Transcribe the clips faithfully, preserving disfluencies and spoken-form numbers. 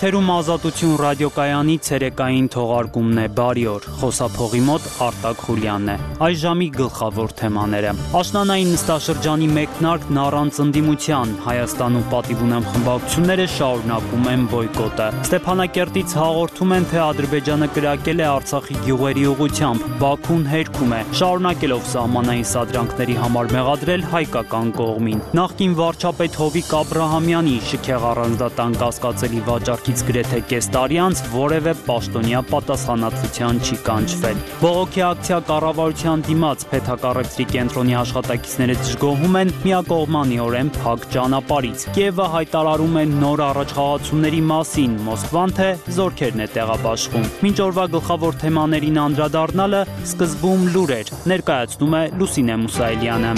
Թերում Ազատություն ռադիոկայանի ցերեկային թողարկումն է, բարի օր, խոսափողի մոտ Արտակ Խուլյանն է, այս ժամի գլխավոր թեմաները, աշնանային նստաշրջանի մեկնարկն առանց ընդդիմության, Հայաստանում պատիվ ունեմ խմբակցությունները շարունակում են բոյկոտը, Ստեփանակերտից հաղորդում են, թե Ադրբեջանը կրակել է Արցախի գյուղերի ուղղությամբ, Բաքուն հերքում է, շարունակելով սահմանային սադրանքների համար մեղադրել հայկական կողմին, նախկին վարչապետ Հովիկ Աբրահամյանի շքեղ առանձնատան կասկածելի վաճառքի գրեթե կես տարի անց որևէ պաշտոնյա պատասխանատվության չի կանչվել։ Բողոքի ակցիա կառավարության դիմաց Փեթակառեցրի կենտրոնի աշխատակիցները դժգոհում են միակողմանիորեն փակ ճանապարհից։ Կիևը հայտարարում է նոր առաջխաղացումների մասին, Մոսկվան թե զորքերն է տեղաբաշխում։ Մինչ օրվա գլխավոր թեմաներին անդրադառնալը սկզբում լուր էր, ներկայացնում է Լուսինե Մուսայելյանը։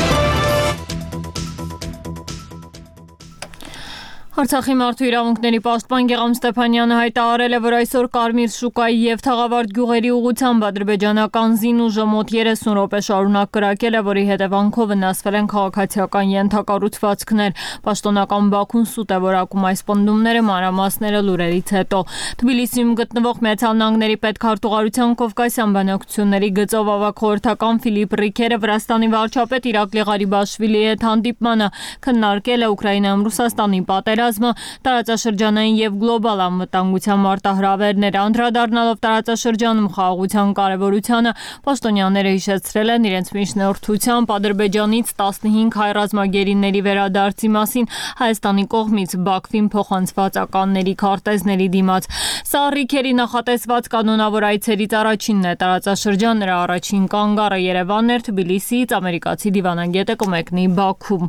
Արցախի մարդու իրավունքների պաշտպան Գեղամ Ստեփանյանը հայտարարել է, որ այսօր Կարմիր շուկայի եւ Թաղավարտ գյուղերի ուղղությամբ ադրբեջանական զինուժը մոտ երեսուն րոպե շարունակ կրակել է, որի հետևանքով վնասվել են քաղաքացիական ենթակառուցվածքներ։ Պաշտոնական Բաքուն սուտ է որակում այս պնդումները, մանրամասները լուրերից հետո։ Թբիլիսիում գտնվող Միացյալ Նահանգների պետքարտուղարության Կովկասյան բանակցությունների գծով ավագ խորհրդական Ֆիլիպ Ռիքերը Վրաստանի վարչապետ Իրակլի Ղարիբաշվիլիի հետ հանդիպմանը քննարկել է Ուկրաինայում Ռուսաստանի պատերազմը, տարածաշրջանային եւ գլոբալ անվտանգության մարտահրավերները, անդրադառնալով տարածաշրջանում խաղաղության կարեւորությանը, պաշտոնյաները հիշեցրել են իրենց միջնորդությամբ Ադրբեջանից տասնհինգ հայ ռազմագերիների վերադարձի մասին Հայաստանի կողմից Բաքվին փոխանցված ականների քարտեզների դիմաց։ Սա Ռիքերի նախատեսված կանոնավոր այցերից առաջինն է տարածաշրջան, նրա առաջին կանգառը Երևանն էր, Թբիլիսիից ամերիկացի դիվանագետը կմեկնի Բաքու։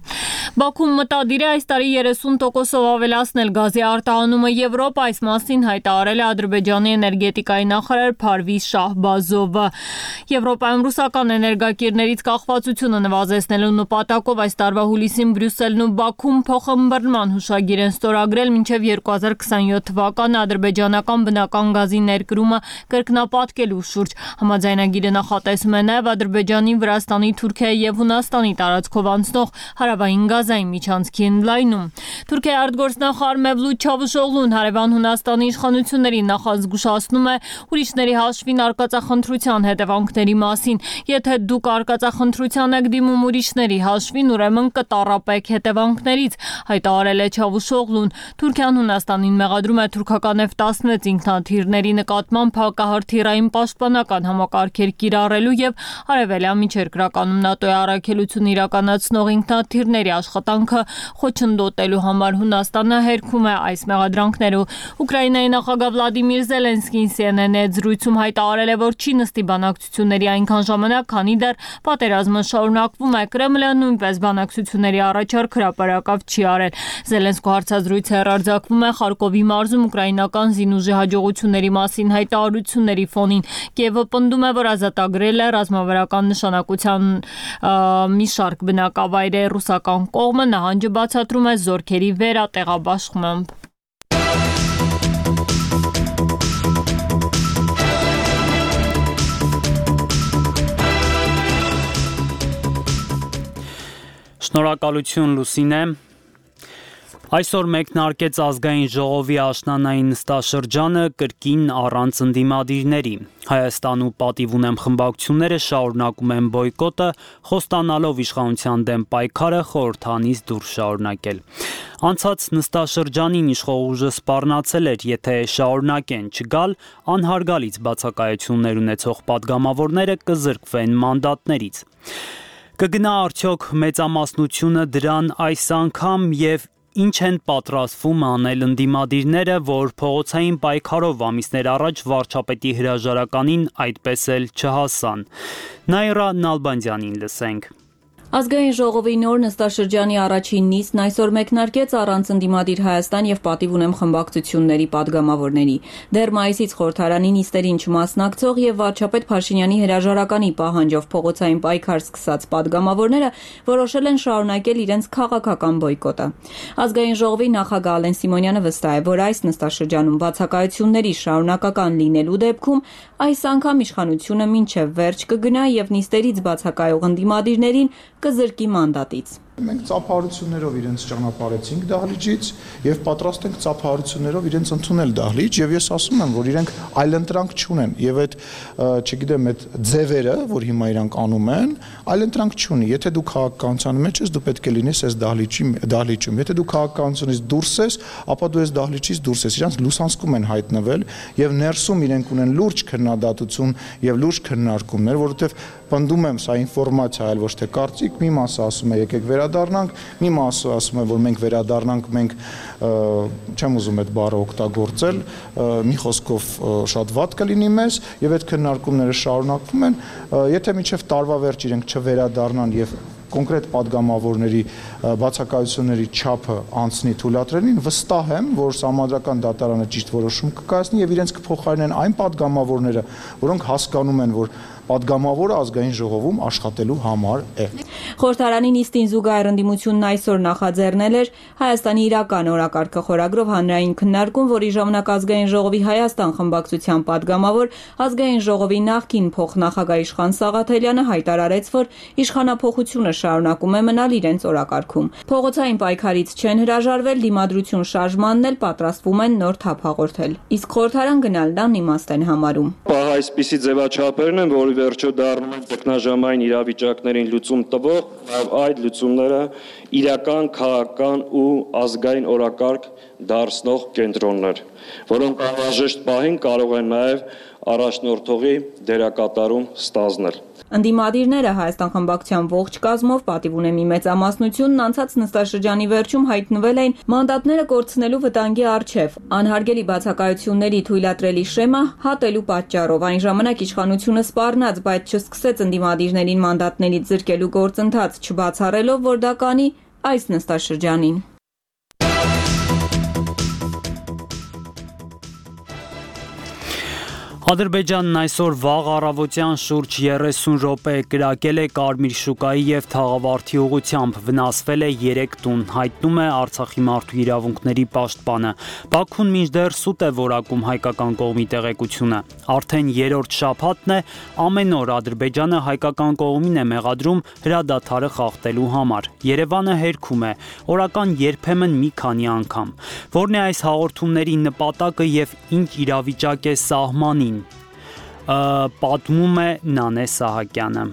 Բաքուն մտադիր է այս տարի երեսուն տոկոսով ավելացնել գազի արտահանումը Եվրոպա, այս մասին հայտարարել է Ադրբեջանի էներգետիկայի նախարար Փարվիզ Շահբազովը։ Եվրոպայում ռուսական էներգակիրներից կախվածությունը նվազեցնելու նպատակով այս տարվա հուլիսին Բրյուսելն ու Բաքուն փոխըմբռնման հուշագիր են ստորագրել, մինչև երկու հազար քսանյոթ թվականը ադրբեջանական բնական գազի ներկրումը կրկնապատկելու շուրջ։ Համաձայնագիրը նախատեսում է նաև Ադրբեջանի, Վրաստանի, Թուրքիայի եւ Հունաստանի տարածքով անցնող հարավային գազային միջանցքի ընդլայնում։ Թուրքիայի արտգործնախարար Մևլութ Չավուշօղլուն հարևան Հունաստանի իշխանություններին նախազգուշացնում է ուրիշների հաշվին արկածախնդրության հետևանքների մասին։ Եթե դուք արկածախնդրության եք դիմում ուրիշների հաշվին, ուրեմն կտառապեք հետևանքներից, հայտարարել է Չավուշօղլուն։ Թուրքիան Հունաստանին մեղադրում է թուրքական Էֆ տասնվեց ինքնաթիռների նկատմամբ հակահրթիռային պաշտպանական համակարգեր կիրառելու եւ արևելյան միջերկրականում ՆԱՏՕ-ի առաքելություն իրականացնող ինքնաթիռների աշխատանքը խոչընդոտելու համար Հունաստանը հերքում է այս մեղադրանքները։ Ուկրաինայի նախագահ Վլադիմիր Զելենսկին Սի Էն Էն-ի հետ զրույցում հայտարարել է, որ չի նստի բանակցությունների այնքան ժամանակ, քանի դեռ պատերազմը շարունակվում է։ Կրեմլը նույնպես բանակցությունների առաջարկ հրապարակավ չի արել։ Զելենսկու հարցազրույցը հեռարձակվում է Խարկովի մարզում ուկրաինական զինուժի հաջողությունների մասին հայտարարությունների ֆոնին։ Կիևը պնդում է, որ ազատագրել է ռազմավարական նշանակության մի շարք բնակավայրեր, ռուսական կողմը նահանջը բացատրում է զորքերի վերատեղաբաշխմամբ։ Շնորհակալություն Լուսինե։ Այսօր մեկնարկեց ազգային ժողովի աշնանային նստաշրջանը կրկին առանց ընդդիմադիրների։ Հայաստանում պատիվ ունեմ խմբակցությունները շարունակում են բոյկոտը, խոստանալով իշխանության դեմ պայքարը խորհրդանից դուրս շարունակել։ Անցած նստաշրջանին իշխող ուժը սպառնացել էր, եթե շարունակեն չգալ, անհարգալից բացակայություններ ունեցող պատգամավորները կզրկվեն մանդատներից։ Կգնա արդյոք մեծամասնությունը դրան այս անգամ եւ ինչ են պատրաստվում անել ընդդիմադիրները, որ փողոցային պայքարով ամիսներ առաջ վարչապետի հրաժարականին այդպես էլ չհասան։ Նայրա Նալբանդյանին լսենք։ Ազգային ժողովի նոր նստաշրջանի առաջին նիստն այսօր մեկնարկեց առանց ընդդիմադիր Հայաստան եւ պատիվ ունեմ խմբակցությունների պատգամավորների։ Դեռ մայիսից խորհրդարանի նիստերին չմասնակցող եւ վարչապետ Փաշինյանի հրաժարականի պահանջով փողոցային պայքար սկսած պատգամավորները որոշել են շարունակել իրենց քաղաքական բոյկոտը։ Ազգային ժողովի նախագահ Ալեն Սիմոնյանը վստահ է, որ այս նստաշրջանում բացակայությունների շարունակական լինելու դեպքում այս անգամ իշխանությունը մինչև վերջ կգնա եւ նիստերից բացակայող ընդդիմադիրներին կզրկի մանդատից։ Մենք ծափահարություններով իրենց ճանապարհեցինք դահլիճից եւ պատրաստ ենք ծափահարություններով իրենց ընդունել դահլիճ եւ ես ասում եմ, որ իրենք այլընտրանք չունեն եւ այդ, չգիտեմ, այդ ձևերը, որ հիմա իրանք անում են, այլընտրանք չունի։ Եթե դու քաղաքականության մեջ ես, դու պետք է լինես այս դահլիճի դահլիճում։ Եթե դու քաղաքականությունից դուրս ես, ապա դու այս դահլիճից դուրս ես։ Իրանք լուսանցքում են հայտնվել եւ ներսում իրենք ունեն լուրջ քննադատություն եւ լուրջ քննարկումներ, որովհետեւ պնդում եմ, սա ինֆորմացիա այլ ոչ թե կարծիք, մի մասը ասում է եկեք վերադառնանք, մի մասը ասում է, որ մենք վերադառնանք, մենք չեմ ուզում այդ բառը օգտագործել, մի խոսքով շատ վատ կլինի մեզ եւ այդ քննարկումները շարունակվում են, եթե մինչեւ տարվա վերջ իրենք չվերադառնան եւ կոնկրետ падգամավորների բացակայությունների չափը անցնի թույլատրելին, վստահ եմ, որ Սահմանադրական դատարանը ճիշտ որոշում կկայացնի եւ իրենց կփոխարինեն այն падգամավորները, որոնք հասկանում են, որ падգամավորը ազգային ժողովում աշխատելու համար է։ Խորհրդարանի նիստին զուգահեռ ընդդիմությունն այսօր նախաձեռնել էր Հայաստանի իրական օրակարգը խորագրով հանրային քննարկում, որի ժամանակ ազգային ժողովի Հայաստան խմբակցության падգամավոր ազգային ժողովի նախկին փոխնախագահ Իշխան Սաղաթելյանը հայտարարեց, որ իշխանափոխությունը շարունակում է մնալ իրենց օրակարգում։ Փողոցային պայքարից չեն հրաժարվել, դիմադրություն շարժմանն էլ պատրաստվում են նոր թափ հաղորդել։ Իսկ խորհրդարան գնալն անիմաստ են համարում։ Այսպիսի ձևաչափերն են, որ վերջո դառնում են ճգնաժամային իրավիճակներին լուծում տվող, նաև այդ լուծումները իրական, քաղաքական ու ազգային օրակարգ դարձնող կենտրոններ, որոնք անհրաժեշտ պահին կարող են նաև առաջնորդողի դերակատարում ստանձնել։ Ընդդիմադիրները Հայաստան խմբակցության ողջ կազմով պատիվ ունեն մի մեծամասնությունն անցած նստաշրջանի վերջում հայտնվել էին մանդատները կորցնելու վտանգի առջև, անհարգելի բացակայությունների թույլատրելի շեմը հատելու պատճառով։ Այն ժամանակ իշխանությունը սպառնաց, բայց չսկսեց ընդդիմադիրներին մանդատներից զրկելու գործընթաց, չբացառելով, որ դա կանի այս նստաշրջանին։ Ադրբեջանն այսօր վաղ առավոտյան շուրջ երեսուն րոպե կրակել է Կարմիր շուկայի եւ Թաղավարտի ուղղությամբ, վնասվել է երեք տուն, հայտնում է Արցախի մարդու իրավունքների պաշտպանը։ Բաքուն մինչդեռ սուտ է որակում հայկական կողմի տեղեկությունը։ Արդեն երրորդ շաբաթն է, ամեն օր Ադրբեջանը հայկական կողմին է մեղադրում հրադադարը խախտելու համար։ Երևանը հերքում է, օրական երբեմն մի քանի անգամ։ Որն է այս հաղորդումների նպատակը եւ ինչ իրավիճակ է սահմանին, պատմում է Նանե Սահակյանը։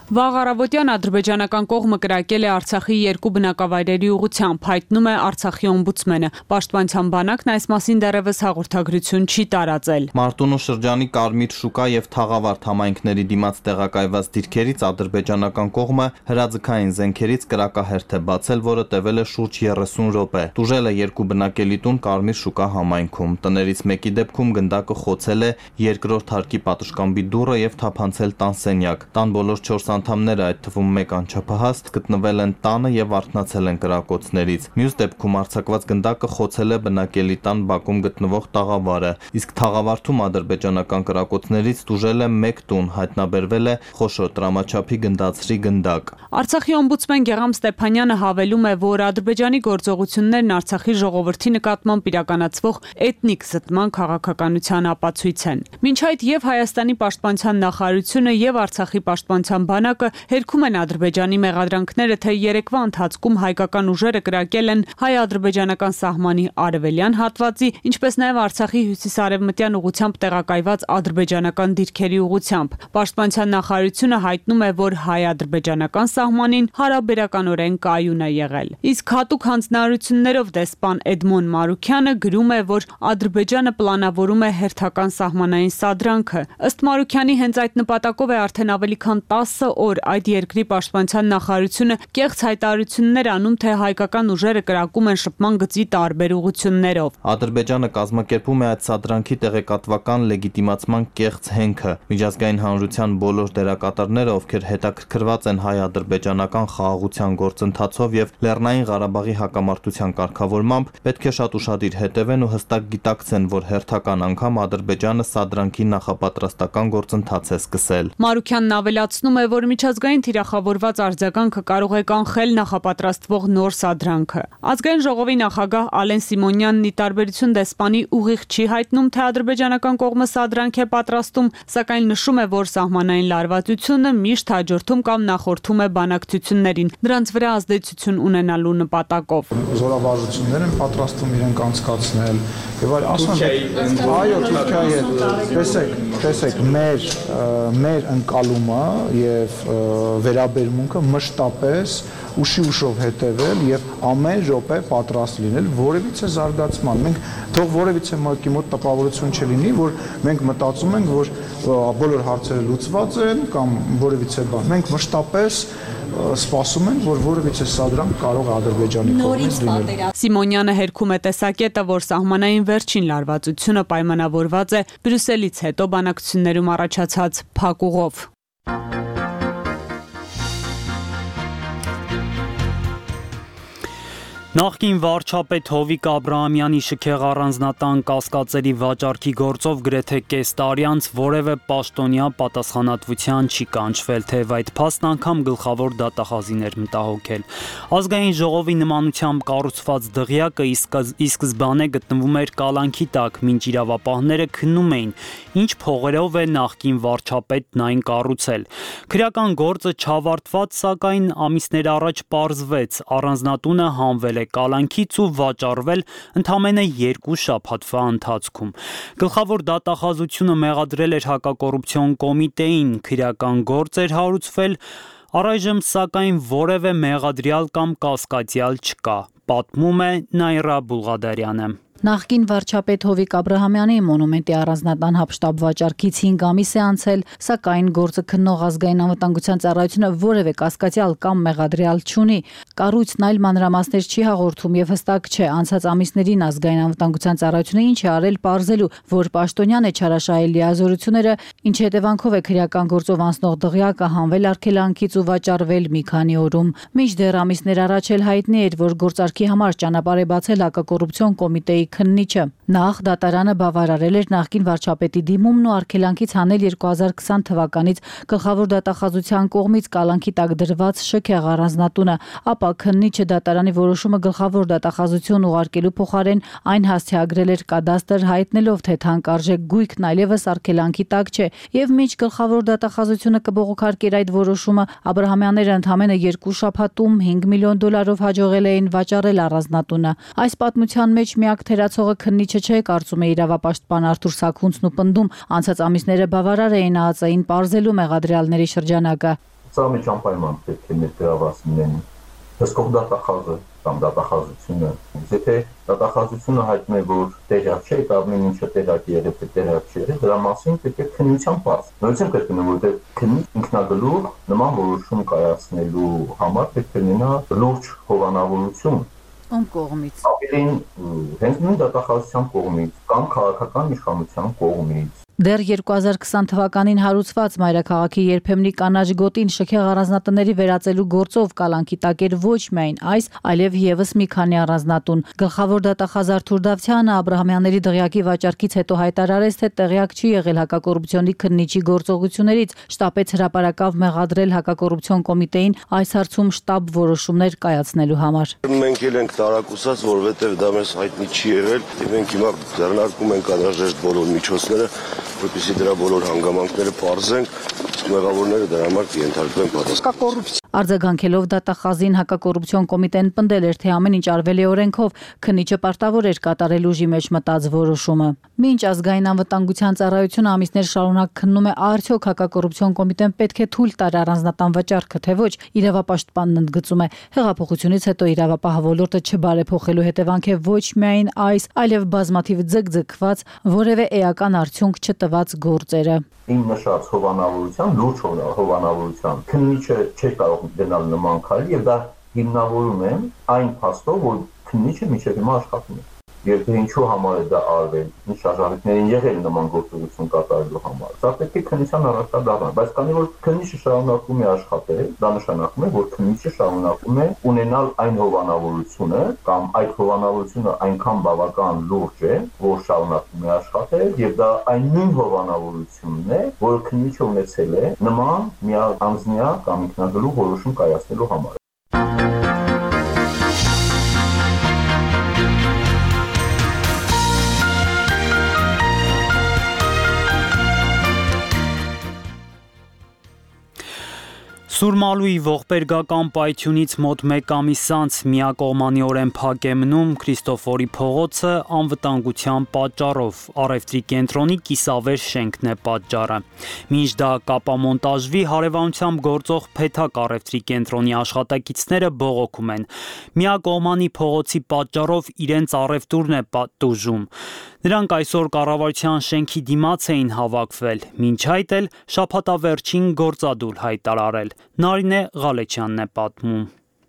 Վաղ առավոտյան ադրբեջանական կողմը կրակել է Արցախի երկու բնակավայրերի ուղղությամբ, հայտնում է Արցախի օմբուդսմենը։ Պաշտպանության բանակն այս մասին դեռևս հաղորդագրություն չի տարածել։ Մարտունու շրջանի Կարմիր շուկա եւ Թաղավարտ համայնքների դիմաց տեղակայված դիրքերից ադրբեջանական կողմը հրաձգային զենքերից կրակահերթ է բացել, որը տևել է շուրջ երեսուն րոպե։ Տուժել է երկու բնակելի տուն Կարմիր շուկա համայնքում։ Տներից մեկի դեպքում գնդակը խոցել է երկրորդ հարկի պատշգամբի դուռը եւ թափանցել տան սենյակ։ Տան բոլոր չորս անդամները, այդ թվում մեկ անչափահաս, գտնվել են տանը եւ արթնացել են կրակոցներից։ Մյուս դեպքում արձակված գնդակը խոցել է բնակելի տան բակում գտնվող տաղավարը, իսկ Թաղավարտում ադրբեջանական կրակոցներից տուժել է մեկ տուն, հայտնաբերվել է խոշոր տրամաչափի գնդացրի գնդակ։ Արցախի օմբուդսմեն Գեղամ Ստեփանյանը հավելում է, որ Ադրբեջանի գործողություններն Արցախի ժողովրդի նկատմամբ իրականացվող էթնիկ զտման քաղաքականության ապացույց են։ Մինչ այդ եւ Հայաստանի պաշտպանության նախարարությունը եւ Արցախի պաշտպանության բանակը հերքում են Ադրբեջանի մեղադրանքները, թե երեկվա ընթացքում հայկական ուժերը կրակել են հայ-ադրբեջանական սահմանի արևելյան հատվածի, ինչպես նաեւ Արցախի հյուսիսարևմտյան ուղությամբ տեղակայված ադրբեջանական դիրքերի ուղությամբ։ Պաշտպանության նախարարությունը հայտնում է, որ հայ-ադրբեջանական սահմանին հարաբերականորեն կայուն է եղել։ Իսկ հատուկ հանձնարարություններով դեսպան Էդմոն Մարուքյանը գրում է, որ Ադրբեջանը պլանավորում է հերթական սահմանային սադրանքը։ Ըստ Մարուքյանի, հենց այդ նպատակով է արդեն ավելի քան տասը օր այդ երկրի պաշտպանության նախարարությունը կեղծ հայտարարություններ անում, թե հայկական ուժերը կրակում են շփման գծի տարբեր ուղղություններով։ Ադրբեջանը կազմակերպում է այդ սադրանքի տեղեկատվական լեգիտիմացման կեղծ հենքը։ Միջազգային հանրության բոլոր դերակատարները, ովքեր հետաքրքրված են հայ-ադրբեջանական խաղաղության գործընթացով եւ Լեռնային Ղարաբաղի հակամարտության կարգավորմամբ, պետք է շատ ուշադիր հետևեն ու հստակ գիտակցեն, որ հերթական անգամ Ադրբեջանը սադրանքի նախապատրաստական գործընթաց է սկսել։ Մարուքյանն ավելացնում է, որ միջազգային թիրախավորված արձագանքը կարող է կանխել նախապատրաստվող նոր սադրանքը։ Ազգային ժողովի նախագահ Ալեն Սիմոնյանն ի տարբերություն դեսպանի ուղիղ չի հայտնում, թե ադրբեջանական կողմը սադրանք է պատրաստում, սակայն նշում է, որ սահմանային լարվածությունը միշտ հաջորդում կամ նախորդում է բանակցություններին, դրանց վրա ազդեցություն ունենալու նպատակով։ Զորավարժություններ են պատրաստում իրենք անցկացնել եւ այլ ասում են այո Թուրքիայի հետ տեսեք տեսեք մեր մեր ընկալումը եւ վերաբերմունքը մշտապես ուշի ուշով հետևել եւ ամեն րոպե պատրաստ լինել որևիցե զարգացման։ Մենք թող որևիցե մեկի մոտ տպավորություն չլինի, որ մենք մտածում ենք, որ բոլոր հարցերը լուծված են կամ որևիցե բան։ Մենք մշտապես սպասում ենք, որ որևիցե սադրանք կարող է Ադրբեջանի կողմից լինել։ Սիմոնյանը հերքում է տեսակետը, որ սահմանային վերջին լարվածությունը պայմանավորված է Բրյուսելից հետո բանակցություններում առաջացած փակուղով։ Նախկին վարչապետ Հովիկ Աբրահամյանի շքեղ առանձնատան կասկածերի վաճառքի գործով գրեթե կես տարի անց որևէ պաշտոնյա պատասխանատվության չի կանչվել, թեև այդ փաստն անգամ գլխավոր դատախազին էր մտահոգել։ Ազգային ժողովի նմանությամբ կառուցված դղյակը ի սկզբանե գտնվում էր կալանքի տակ, մինչ իրավապահները քննում էին, ինչ փողերով է նախկին վարչապետն այն կառուցել։ Քրեական գործը չավարտված, սակայն ամիսներ առաջ պարզվեց, առանձնատունը հանվել է կալանքից ու վաճառվել ընդամենը երկու շաբաթվա ընթացքում։ Գլխավոր դատախազությունը մեղադրել էր հակակոռուպցիոն կոմիտեին, քրեական գործ էր հարուցվել, առայժմ սակայն որևէ մեղադրյալ կամ կասկածյալ չկա, պատմում է Նայրա Բուլղադարյանը։ Նախկին վարչապետ Հովիկ Աբրահամյանի մոնումենտի առանձնատան հապշտապ վաճառքից հինգ ամիս է անցել, սակայն գործը քննող ազգային անվտանգության ծառայությունը որևէ կասկածյալ կամ մեղադրյալ չունի։ Կառույցն այլ մանրամասներ չի հաղորդում եւ հստակ չէ անցած ամիսներին ազգային անվտանգության ծառայությունը ինչ է արել պարզելու, որ պաշտոնյան է չարաշահել լիազորությունները, ինչի հետևանքով է քրեական գործով անցնող դղյակը հանվել արգելանքից ու վաճառվել մի քանի օրում։ Մինչդեռ ամիսներ առաջ էլ հայտնի էր, որ գործարքի համար ճանապարհ է բացել հակակոռուպցիոն կոմիտեի քննիչը։ Նախ դատարանը բավարարել էր նախկին վարչապետի դիմումն ու արգելանքից հանել երկու հազար քսան թվականից գլխավոր դատախազության կողմից կալանքի տակ դրված շքեղ առանձնատունը, ապա քննիչը դատարանի որոշումը գլխավոր դատախազություն ուղարկելու փոխարեն այն հասցեագրել էր կադաստր, հայտնելով, թե թանկարժեք գույքն այլևս արգելանքի տակ չէ, եւ մինչ գլխավոր դատախազությունը կբողոքարկեր այդ որոշումը, Աբրահամյանները ընդամենը երկու շաբաթում հինգ միլիոն դոլարով հաջողել էին վաճառել առանձնատունը։ Այս պատմության մեջ միակ թերացողը քննիչը չէ, կարծում է իրավապաշտպան Արթուր Սաքունցն ու պնդում, անցած ամիսները բավարար էին ԱԱԾ-ին պարզելու մեղադրյալների շրջանակը։ Սա մեջ անպայման պետք է ներգրաված լինեն հսկող դատախազը կամ դատախազությունը։ Եթե դատախազությունը հայտնում է, որ տեղյակ չէ, դա ամեն ինչը տեղյակ եղել է, տեղյակ չէ, դրա մասին պետք է քննության բաց։ Նույնիսկ կրկնեմ, որ քննիչ ինքնագլուխ նման որոշում կայացնելու համար պետք է ունենա լուրջ հովանավորություն։ Ում կողմից։ Ավելին հենց նույն դատախազության կողմից կամ քաղաքական իշխանության կողմից։ Դեռ երկու հազար քսան թվականին հարուցված մայրաքաղաքի երբեմնի կանաչ գոտին շքեղ առանձնատների վերածելու գործով կալանքի տակ էր ոչ միայն այս, այլև եւս մի քանի առանձնատուն։ Գլխավոր դատախազ Արթուր Դավթյանը Աբրահամյանների դղյակի վաճառքից հետո հայտարարեց, թե տեղյակ չի եղել հակակոռուպցիոնի քննիչի գործողություններից, շտապեց հրապարակավ մեղադրել հակակոռուպցիոն կոմիտեին այս հարցում շտաբ որոշումներ կայացնելու համար։ Մենք էլ ենք տարակուսած, որովհետև դա մեզ հայտնի չի եղել, եւ մենք հիմա ձեռնարկում ենք անհրաժեշտ բոլոր միջոցները, որպեսզի դրա բոլոր հանգամանքները պարզենք, իսկ մեղավորները դրա համար կենթարկվեն պատասխան։ Արձագանքելով դատախազին հակակոռուպցիոն կոմիտեն պնդել էր, թե ամեն ինչ արվել է օրենքով, քննիչը պարտավոր էր կատարել ուժի մեջ մտած որոշումը։ Մինչ ազգային անվտանգության ծառայությունը ամիսներ շարունակ քննում է, արդյոք հակակոռուպցիոն կոմիտեն պետք է թույլ տար առանձնատան վաճառքը, թե ոչ, իրավապաշտպանն ընդգծում է, հեղափոխությունից հետո իրավապահ ոլորտը չբարեփոխելու հետևանք է ոչ միայն այս, այլև բազմաթիվ ձգձգված, որևէ էական արդյունք չտված գործերը։ Իմ նշած հովանավորության, լուրջ հովանավորության, քննիչը չէ կարող գնալ նման քայլ եւ դա հիմնավորում եմ այն փաստով, որ քննիչը միջև հիմա աշխատում է։ եւ թե ինչու համար է դա արվել, ինչ շարժառիթներին եղել նման գործողություն կատարելու համար։ Սա պետք է քննության առաջադառնա, բայց քանի որ քննիչը շարունակում է աշխատել, դա նշանակում է, որ քննիչը շարունակում է ունենալ այն հովանավորությունը կամ այդ հովանավորությունը այնքան բավական լուրջ է, որ շարունակում է աշխատել եւ դա այն նույն հովանավորությունն է, որը քննիչը ունեցել է նման միանձնյա կամ ինքնագլուխ որոշում կայացնելու համար։ Սուրմալուի ողբերգական պայթյունից մոտ մեկ ամիս անց միակողմանիորեն փակ է մնում Քրիստոֆորի փողոցը անվտանգության պատճառով, առևտրի կենտրոնի կիսավեր շենքն է պատճառը։ Մինչ դա կապամոնտաժվի, հարևանությամբ գործող Փեթակ առևտրի կենտրոնի աշխատակիցները բողոքում են։ Միակողմանի փողոցի պատճառով իրենց առևտուրն է տուժում։ Նրանք այսօր կառավարության շենքի դիմաց էին հավաքվել, մինչ այդ էլ շաբաթավերջին գործադուլ հայտարարել։ Նարինե Ղալեչյանն է պատմում։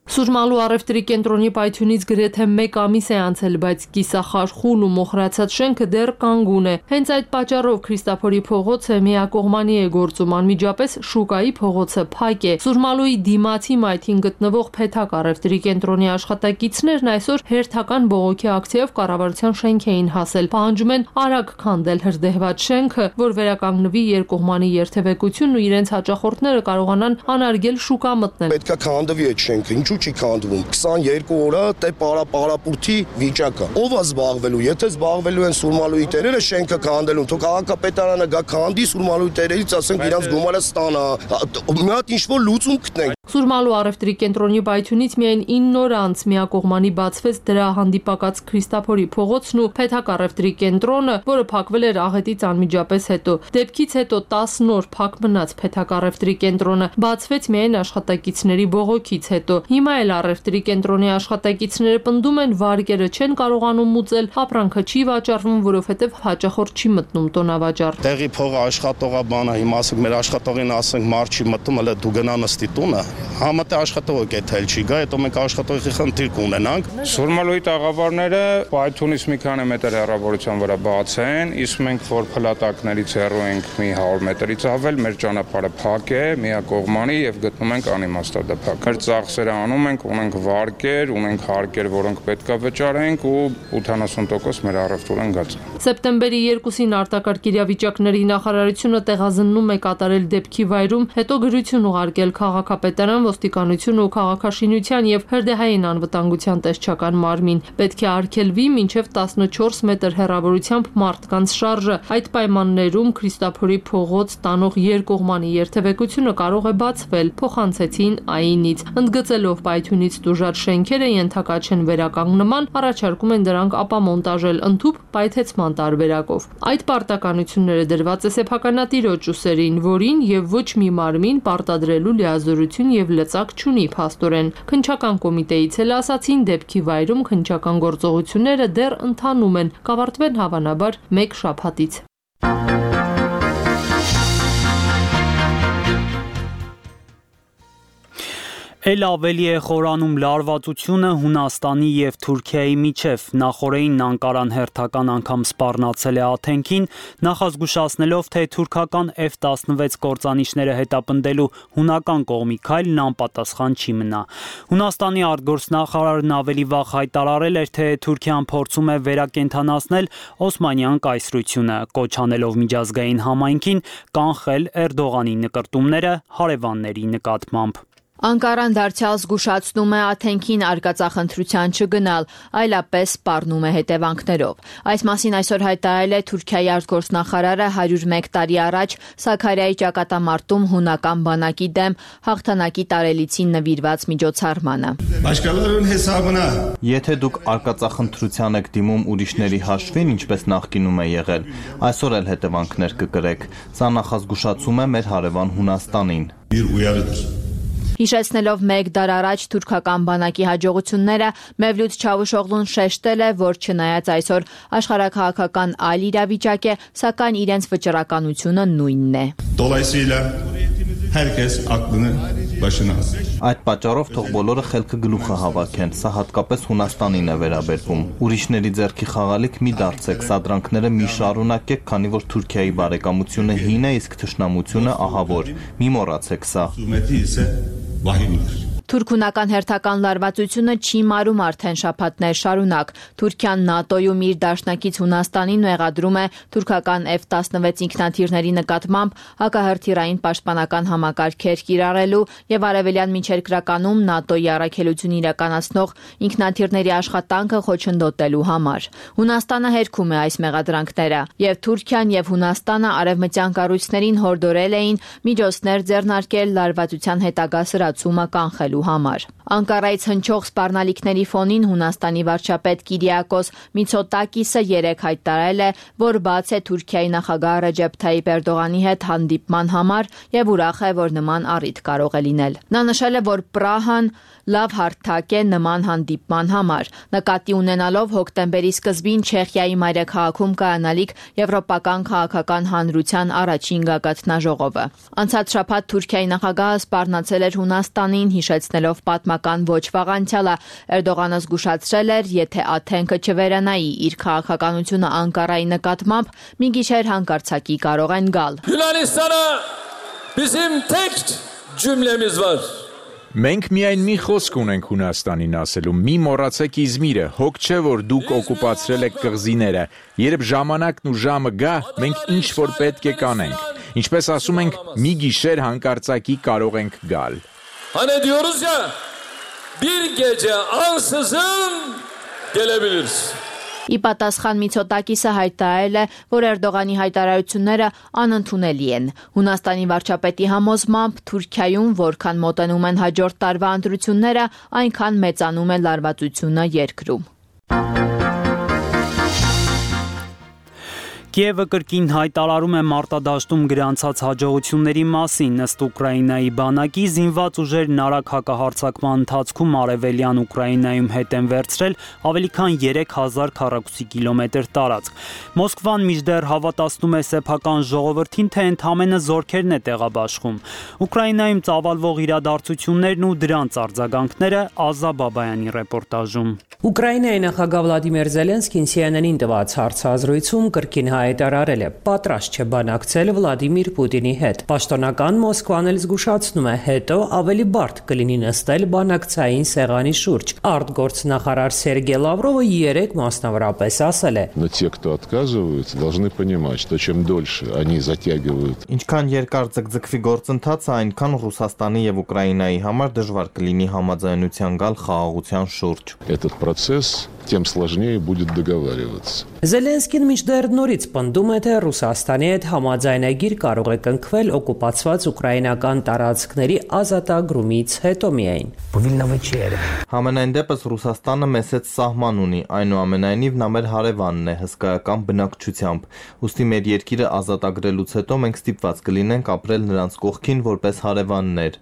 Սուրմալու առևտրի կենտրոնի պայթյունից գրեթե մեկ ամիս է անցել, բայց կիսախարխուլ ու մոխրացած շենքը դեռ կանգուն է։ Հենց այդ պատճառով Քրիստոֆորի փողոցը միակողմանի է գործում, անմիջապես Շուկայի փողոցը փակ է։ Սուրմալուի դիմացի մայթին գտնվող Փեթակ առևտրի կենտրոնի աշխատակիցներն այսօր հերթական բողոքի ակցիայով կառավարության շենք էին հասել։ Պահանջում են արագ քանդել հրդեհված շենքը, որ վերականգնվի երկկողմանի երթևեկությունն ու իրենց հաճախորդները կարողանան անարգել շուկա մտնել։ Պետք է քանդվի այդ շենքը, ինչու՞ չի քանդվում։ քսաներկու օր է դե պարապարապուրտի վիճակը։ Ով է զբաղվելու, եթե զբաղվելու են Սուրմալուի տերերը շենքը քանդելուն, թող քաղաքապետարանը գա քանդի Սուրմալուի տերերից, ասենք իրանց գումարը ստանա։ Մի հատ ինչ-որ լուծում գտնենք։ Սուրմալու առևտրի կենտրոնի պայթյունից միայն ինը օր անց միակողմանի բացվեց դրա հանդիպակաց Քրիստոֆորի փողոցն ու Փեթակ առևտրի կենտրոնը, որը փակվել էր աղետից անմիջապես հետո։ Դեպքից հետո տասն օր փակ մնաց Փեթակ առևտրի կենտրոնը, բացվեց միայն աշխատակիցների բողոքից հետո։ Հիմա էլ առևտրի կենտրոնի աշխատակիցները պնդում են, վարկերը չեն կարողանում մուծել, ապրանքը չի վաճառվում, որովհետև հաճախորդ չի մտնում տոնավաճառ։ Տեղի փողը աշխատողա բանը, հիմա ասենք մեր աշխատողին ասենք մարդ չի մտնում, հələ դու գնա նստի տունը։ Համատե աշխատողը կեթել չի գա, հետո մենք աշխատողի խնդիր կունենանք։ Սուրմալուի տաղավարները պայթյունից մի քանի մետր հեռավորության վրա բաց են, իսկ մենք որ փլատակներից հեռու ենք մի հարյուր մետրից ավել, մեր ճանապարհը փակ է, միակողմանի եւ գտնում ենք անիմաստադափակ։ Մեր ծախսերը անում ենք, ունենք վարկեր, ունենք հարկեր, որոնք պետք է վճարենք ու ութանասուն տոկոս մեր առևտուրն գած։ Սեպտեմբերի երկուսին արտակարգ իրավիճակների նախարարությունը տեղազննում է կատարել դեպքի վայրում, հետո գրություն ուղարկել քաղաքապետարան, ոստիկանություն ու քաղաքաշինության եւ հրդեհային անվտանգության տեսչական մարմին։ Պետք է արգելվի մինչեւ տասնչորս մետր հեռավորությամբ մարդկանց շարժը։ Այդ պայմաններում Քրիստոֆորի փողոց տանող երկկողմանի երթևեկությունը կարող է բացվել, փոխանցեցին ԱԻՆ-ից։ Ընդգծելով պայթյունից տուժած շենքերը ենթակա չեն վերականգնման, առաջարկում են դրանք ապամոնտաժել ընդհուպ պայթեցման տարբերակով։ Այդ պարտականությունները դրված է սեփականատիրոջ ուսերին, որին եւ ոչ մի մարմին պարտադրելու լիազորություն եւ լծակ չունի փաստորեն։ Քննչական կոմիտեից էլ ասացին, դեպքի վայրում քննչական գործողությունները դեռ ընթանում են, կավարտվեն հավանաբար մեկ շաբաթից։ Էլ ավելի է խորանում լարվածությունը Հունաստանի եւ Թուրքիայի միջև։ Նախորդին Անկարան հերթական անգամ սպառնացել է Աթենքին, նախազգուշացնելով, թե թուրքական F տասնվեց կործանիչները հետապնդելու հունական կողմի քայլն անպատասխան չի մնա։ Հունաստանի արտգործնախարարն ավելի վաղ հայտարարել էր, թե Թուրքիան փորձում է վերակենդանացնել Օսմանյան կայսրությունը, կոչ անելով միջազգային համայնքին կանխել Էրդողանի նկրտումները հարևանների նկատմամբ։ Անկարան դարձյալ զգուշացնում է Աթենքին արկածախնդրության չգնալ, այլապես սպառնում է հետևանքներով։ Այս մասին այսօր հայտարարել է Թուրքիայի արտգործնախարարը հարյուր մեկ տարի առաջ Սաքարիայի ճակատամարտում հունական բանակի դեմ հաղթանակի տարելիցին նվիրված միջոցառմանը։ Եթե դուք արկածախնդրության եք դիմում ուրիշների հաշվին, ինչպես նախկինում է եղել, այսօր էլ հետևանքներ կկրեք։ Սա նախազգուշացում է մեր հարևան Հունաստանին։ Հիշեցնելով մեկ դար առաջ թուրքական բանակի հաջողությունները, Մևլութ Չավուշօղլուն շեշտել է, որ չնայած այսօր աշխարհաքաղաքական այլ իրավիճակ է, սակայն իրենց վճռականությունը նույնն է։ Այդ պատճառով թող բոլորը խելքը գլուխը հավաքեն, սա հատկապես Հունաստանին է վերաբերվում։ Ուրիշների ձեռքի խաղալիք մի դարձեք, սադրանքները մի շարունակեք, քանի որ Թուրքիայի բարեկամությունը հին է, իսկ թշնամությունը ահավոր։ Մի մոռացեք սա։ Թուրքունական հերթական լարվածությունը չի մարում արդեն շաբաթներ շարունակ։ Թուրքիան ՆԱՏՕ-ում իր դաշնակից Հունաստանին մեղադրում է թուրքական F տասնվեց ինքնաթիռների նկատմամբ հակահրթիռային պաշտպանական համակարգեր կիրառելու եւ արևելյան միջերկրականում ՆԱՏՕ-ի առաքելություն իրականացնող ինքնաթիռների աշխատանքը խոչընդոտելու համար։ Հունաստանը հերքում է այս մեղադրանքները, եւ Թուրքիան եւ Հունաստանը արևմտյան կառույցներին հորդորել էին միջոցներ ձեռնարկել լարվածության հետագա սրացումը կանխելու համար։ Անկարայից հնչող սպառնալիքների ֆոնին Հունաստանի վարչապետ Կիրիակոս Միցոտակիսը երեկ հայտարարել է, որ բաց է Թուրքիայի նախագահ Ռեջեփ Թայիպ Էրդողանի հետ հանդիպման համար եւ ուրախ է, որ նման առիթ կարող է լինել։ Նա նշել է, որ Պրահան լավ հարթակ է նման հանդիպման համար, նկատի ունենալով հոկտեմբերի սկզբին Չեխիայի մայրաքաղաքում կայանալիք Եվրոպական քաղաքական հանրության առաջին գագաթնաժողովը։ Անցած շաբաթ Թուրքիայի նախագահը սպառնացել էր Հունաստանին, հիշեցնելով պատմական ոչ վաղ անցյալը։ Էրդողանը զգուշացրել էր, եթե Աթենքը չվերանայի իր քաղաքականությունը Անկարայի նկատմամբ, մի գիշեր հանկարծակի կարող են գալ։ Yunanistan'a bizim tek cümlemiz var. Մենք միայն մի խոսք ունենք Հունաստանին ասելու՝ մի մոռացեք Իզմիրը, հոգ չէ, որ դուք օկուպացրել եք կղզիները, երբ ժամանակն ու ժամը գա, մենք ինչ որ պետք է կանենք, ինչպես ասում ենք, մի գիշեր հանկարծակի կարող ենք գալ։ Hani diyoruz ya, bir gece ansızın gelebilirsin. Ի պատասխան Միցոտակիսը հայտարարել է, որ Էրդողանի հայտարարությունները անընդունելի են։ Հունաստանի վարչապետի համոզմամբ Թուրքիայում որքան մոտենում են հաջորդ տարվա ընտրությունները, այնքան մեծանում է լարվածությունը երկրում։ Կիևը կրկին հայտարարում է մարտադաշտում գրանցած հաջողությունների մասին։ Ըստ Ուկրաինայի բանակի, զինված ուժերն արագ հակահարձակման ընթացքում արևելյան Ուկրաինայում հետ են վերցրել ավելի քան երեք հազար քառակուսի կիլոմետր տարածք։ Մոսկվան մինչդեռ հավատացնում է սեփական ժողովրդին, թե ընդամենը զորքերն է տեղաբաշխում։ Ուկրաինայում ծավալվող իրադարձություններն ու դրանց արձագանքները Ազա Բաբայանի ռեպորտաժում։ Ուկրաինայի նախագահ Վլադիմիր Զելենսկին Սի Էն Էն-ին տված հարցազրույցում կրկին հայտարարել է, պատրաստ չէ բանակցել Վլադիմիր Պուտինի հետ։ Պաշտոնական Մոսկվան էլ զգուշացնում է, հետո ավելի բարդ կլինի նստել բանակցային սեղանի շուրջ։ Արտգործնախարար Սերգեյ Լավրովը երեկ մասնավորապես ասել է. Но те, кто отказываются, должны понимать, что чем дольше они затягивают. Ինչքան երկար ձգձգվի գործընթացը, այնքան Ռուսաստանի եւ Ուկրաինայի համար դժվար կլինի համաձայնության գալ խաղաղության շուրջ։ Этот процесс, тем сложнее будет договариваться. Զելենսկին մինչդեռ նորից պնդում է, թե Ռուսաստանի հետ համաձայնագիր կարող է կնքվել օկուպացված ուկրաինական տարածքների ազատագրումից հետո միայն։ Համենայն դեպս Ռուսաստանը մեծ սահման ունի, այնուամենայնիվ նա մեր հարևանն է հսկայական բնակչությամբ։ Ուստի մեր երկիրը ազատագրելուց հետո մենք ստիպված կլինենք ապրել նրանց կողքին որպես հարևաններ։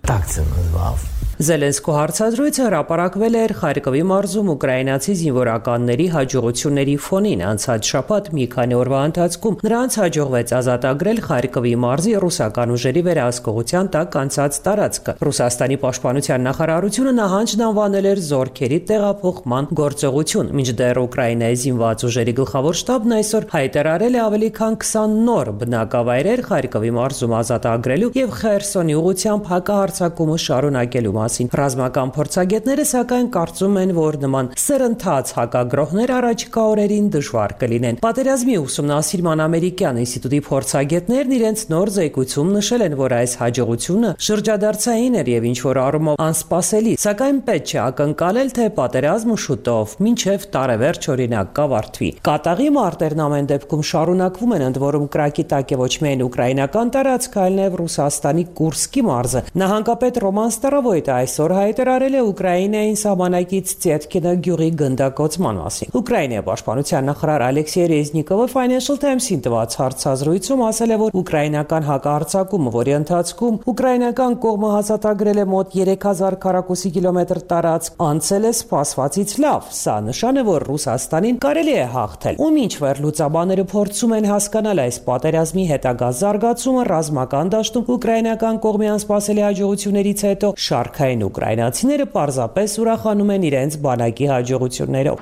Զելենսկու հարցազրույցը հրապարակվել էր Խարկովի մարզում ուկրաինացի զինվորականների հաջողությունների ֆոնին։ Անցած շաբաթ մի քանի օրվա ընթացքում նրանց հաջողվեց ազատագրել Խարկովի մարզի ռուսական ուժերի վերահսկողության տակ անցած տարածքը։ Ռուսաստանի պաշտպանության նախարարությունը նահանջն անվանել էր զորքերի տեղափոխման գործողություն, մինչդեռ Ուկրաինայի զինված ուժերի գլխավոր շտաբն այսօր հայտարարել է ավելի քան քսան նոր բնակավայրեր Խարկովի մարզում ազատագրելու եւ Խերսոնի ուղղությամբ հակահարձակումը շարունակելու մասին։ Ռազմական փորձագետները սակայն կարծում են, որ նման սրընթաց հակագրոհներ առաջիկա օրերին դժվար կլինեն։ Պատերազմի ուսումնասիրման ամերիկյան ինստիտուտի փորձագետներն իրենց նոր զեկույցում նշել են, որ այս հաջողությունը շրջադարձային էր եւ ինչ որ առումով անսպասելի, սակայն պետք չէ ակնկալել, թե պատերազմը շուտով մինչեւ տարեվերջ օրինակ կավարտվի։ Կատաղի մարտերն ամեն դեպքում շարունակվում են, ընդ որում կրակի տակ է ոչ միայն ուկրաինական տարածքը, այլև Ռուսաստանի Կուրսկի մարզը։ Նահանգապետ Ռոման Ստարովոյտը այսօր հայտարարել է Ուկրաինային սահմանակից Ծետկինը գյուղի գնդակոծման մասին։ Ուկրաինայի պաշտպանության նախարար Ալեքսեյ Ռեզնիկովը Financial Times-ին տված հարցազրույցում ասել է, որ ուկրաինական հակահարձակումը, որի ընթացքում ուկրաինական կողմը հաստատագրել է մոտ երեք հազար քառակուսի կիլոմետր տարածք, անցել է սպասվածից լավ։ Սա նշան է, որ Ռուսաստանին կարելի է հաղթել։ Ու մինչվեր լուծաբաները փորձում են հասկանալ այս պատերազմի հետագա զարգացումը ռազմական դաշտում ուկրաինական կողմի անսպասելի հաջողություններից հետո շարքային ուկրաինացիները պարզապես ուրախանում են իրենց բանակի հաջողություններով։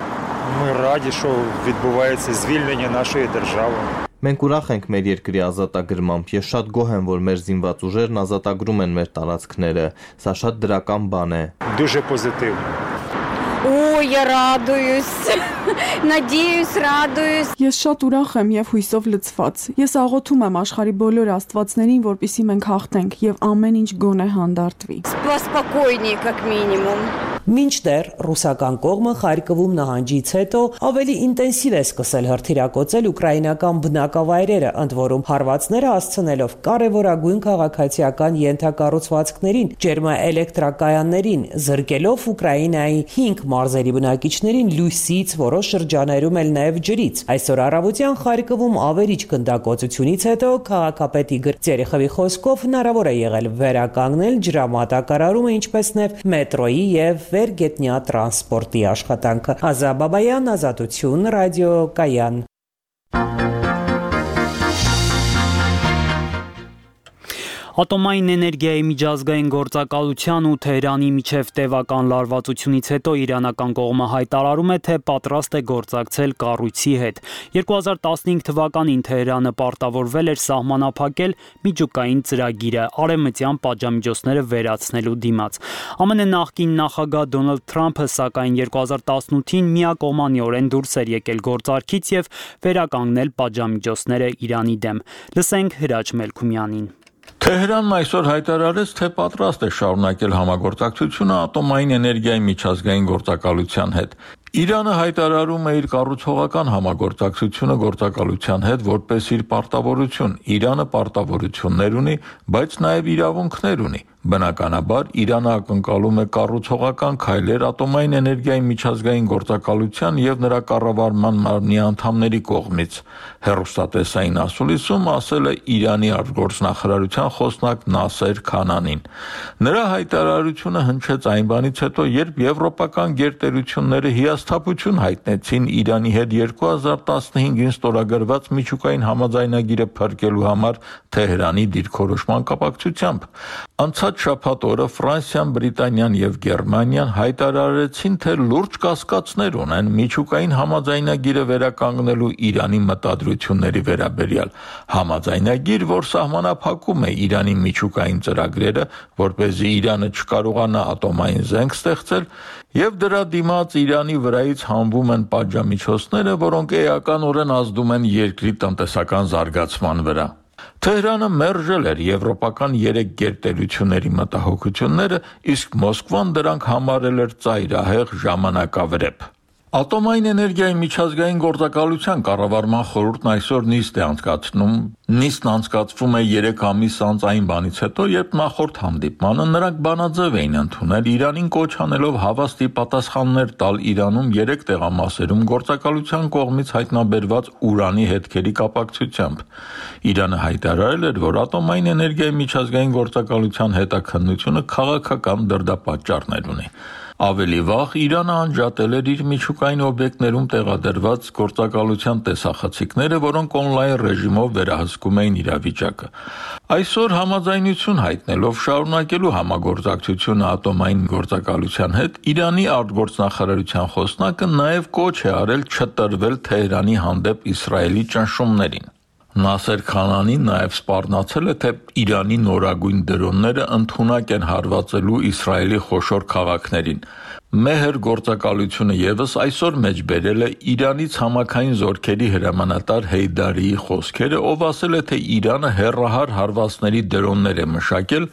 Мы раді, що відбувається звільнення нашої держави. Մենք ուրախ ենք մեր երկրի ազատագրմամբ։ Ես շատ գոհ եմ, որ մեր զինված ուժերն ազատագրում են մեր տարածքները։ Սա շատ դրական բան է։ Дуже позитивно. О, я радуюсь, надеюсь, радуюсь. Ես շատ ուրախ եմ եւ հույսով լցված։ Ես աղոթում եմ աշխարհի բոլոր աստվածներին, որպեսզի մենք հաղթենք եւ ամեն ինչ գոնե հանդարտվի։ Спокойнее, как минимум. Մինչդեռ ռուսական կողմը Խարկովում նահանջից հետո ավելի ինտենսիվ է սկսել հրթիռակոծել ուկրաինական բնակավայրերը, ընդ որում հարվածները հասցնելով կարևորագույն քաղաքացիական ենթակառուցվածքներին, ջերմաէլեկտրակայաններին, զրկելով Ուկրաինայի հինգ մարզերի բնակիչներին լույսից, որոշ շրջաներում էլ նաև ջրից։ Այսօր առավոտյան Խարկովում ավերիչ գնդակոծությունից հետո քաղաքապետի Գրծերիխովի խոսքով հնարավոր է եղել վերականգնել ջրամատակարարումը, ինչպես նաև մետրոյի եւ վերգետնյա տրանսպորտի աշխատանքը։ Ազա Բաբայան, Ազատություն, ռադիո Կայան։ Ատոմային էներգիայի միջազգային գործակալության ու Թեհրանի միջև տևական լարվածությունից հետո իրանական կողմը հայտարարում է, թե պատրաստ է գործակցել կառույցի հետ։ երկու հազար տասնհինգ թվականին Թեհրանը պարտավորվել էր սահմանափակել միջուկային ծրագիրը արևմտյան պատժամիջոցները վերացնելու դիմաց։ ԱՄՆ նախկին նախագահ Դոնալդ Թրամփը, սակայն երկու հազար տասնութին միակողմանիորեն դուրս էր եկել գործարքից եւ վերականգնել պատժամիջոցները Իրանի դեմ։ Լսենք Հրաչ Մելքումյանին։ Թեհրանն այսօր հայտարարեց, թե պատրաստ է շարունակել համագործակցությունը ատոմային էներգիայի միջազգային գործակալության հետ։ Իրանը հայտարարում է իր կառուցողական համագործակցությունը գործակալության հետ որպես իր պարտավորություն։ Իրանը պարտավորություններ ունի, բայց նաև իրավունքներ ունի։ Բնականաբար Իրանը ակնկալում է կառուցողական քայլեր ատոմային էներգիայի միջազգային գործակալության եւ նրա կառավարման մարմնի անդամների կողմից։ Հեռուստատեսային ասուլիսում ասել է Իրանի արտգործնախարարության խոսնակ Նասեր Քանանին։ Նրա հայտարարությունը հնչեց այն բանից հետո, երբ եվրոպական գերտերությունները հիասթափություն հայտնեցին Իրանի հետ երկու հազար տասնհինգին ստորագրված միջուկային համաձայնագիրը փրկելու համար Թեհրանի դիրքորոշման կապակցությամբ։ Անցած շաբաթ օրը Ֆրանսիան, Բրիտանիան եւ Գերմանիան հայտարարեցին, թե լուրջ կասկածներ ունեն միջուկային համաձայնագիրը վերականգնելու Իրանի մտադրությունների վերաբերյալ։ Համաձայնագիր, որ սահմանափակում է Իրանի միջուկային ծրագրերը, որպեսզի Իրանը չկարողանա ատոմային զենք ստեղծել, եւ դրա դիմաց Իրանի վրայից հանվում են պատժամիջոցները, որոնք էականորեն ազդում են երկրի տնտեսական զարգացման վրա։ Թեհրանը մերժել էր եվրոպական երեք գերտերությունների մտահոգությունները, իսկ Մոսկվան դրանք համարել էր ծայրահեղ ժամանակավրեպ։ Ատոմային էներգիայի միջազգային գործակալության կառավարման խորհուրդն այսօր նիստ է անցկացնում։ Նիստն անցկացվում է երեք ամիս անց այն բանից հետո, երբ նախորդ հանդիպմանը նրանք բանաձև էին ընդունել Իրանին կոչ անելով հավաստի պատասխաններ տալ Իրանում երեք տեղամասերում գործակալության կողմից հայտնաբերված ուրանի հետքերի կապակցությամբ։ Իրանը հայտարարել էր, որ ատոմային էներգիայի միջազգային գործակալության հետաքննությունը քաղաքական դրդապատճառներ ունի։ Ավելի վաղ Իրանը անջատել էր իր միջուկային օբյեկտներում տեղադրված գործակալության տեսախցիկները, որոնք օնլայն ռեժիմով վերահսկում էին իրավիճակը։ Այսօր համաձայնություն հայտնելով շարունակելու համագործակցությունը ատոմային գործակալության հետ, Իրանի արտգործնախարարության խոսնակը նաև կոչ է արել չտրվել Թեհրանի հանդեպ Իսրայելի ճնշումներին։ Նասեր Քանանին նաև սպառնացել է, թե Իրանի նորագույն դրոնները ընդունակ են հարվածելու Իսրայելի խոշոր քաղաքներին։ Մեհր գործակալությունը եւս այսօր մեջբերել է Իրանից համակային զորքերի հրամանատար Հեյդարիի խոսքերը, ով ասել է, թե Իրանը հեռահար հարվածների դրոններ է մշակել,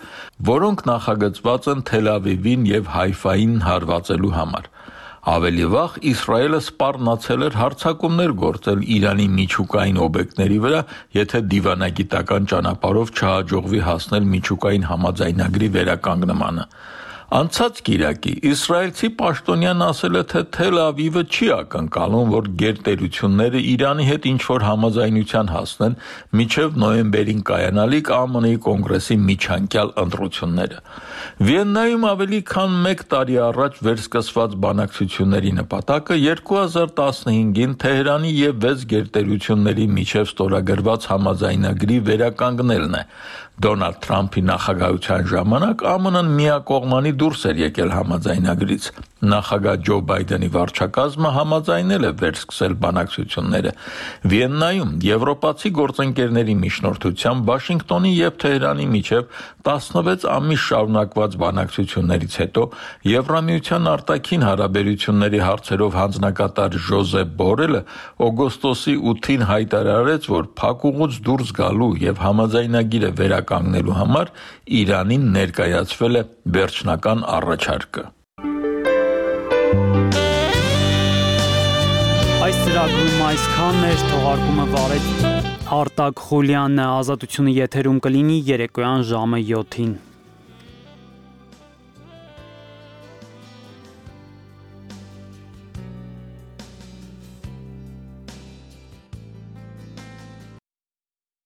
որոնք նախագծված են Թել Ավիվին եւ Հայֆային հարվածելու համար։ Ավելի վաղ Իսրայելը սպառնացել էր հարձակումներ գործել Իրանի միջուկային օբյեկտների վրա, եթե դիվանագիտական ճանապարհով չհաջողվի հասնել միջուկային համաձայնագրի վերականգնմանը։ Անցած կիրակի իսրայելցի պաշտոնյան ասել է, թե Թել Ավիվը չի ակնկալում, որ գերտերությունները Իրանի հետ ինչ-որ համաձայնության հասնեն մինչև նոյեմբերին կայանալիք Á Մը Նի կոնգրեսի միջանկյալ ընտրությունները։ Վիեննայում ավելի քան մեկ տարի առաջ վերսկսված բանակցությունների նպատակը երկու հազար տասնհինգին Թեհրանի և վեց գերտերությունների միջև ստորագրված համաձայնագրի վերականգնելն է։ Դոնալդ Թրամփի նախագահության ժամանակ Á Մը Ն-ն միակողմանի դուրս էր եկել համաձայնագրից։ Նախագահ Ջո Բայդենի վարչակազմը համաձայնել է վերսկսել բանակցությունները։ Վիեննայում եվրոպացի գործընկերների միջնորդությամբ Վաշինգտոնի և Թեհրանի միջև տասնվեց ամիս շարունակված բանակցություններից հետո Եվրամիության արտաքին հարաբերությունների հարցերով հանձնակատար Ժոզեփ Բորելը օգոստոսի ութին հայտարարեց, որ փակուղուց դուրս գալու և համաձայնագիրը վերականգնելու համար Իրանին ներկայացվել է վերջնական առաջարկը։ Այս ծրագրում այսքանն էր, թողարկումը վարեց Արտակ Խուլյանն է, Ազատությունը եթերում կլինի երեկոյան ժամը յոթին։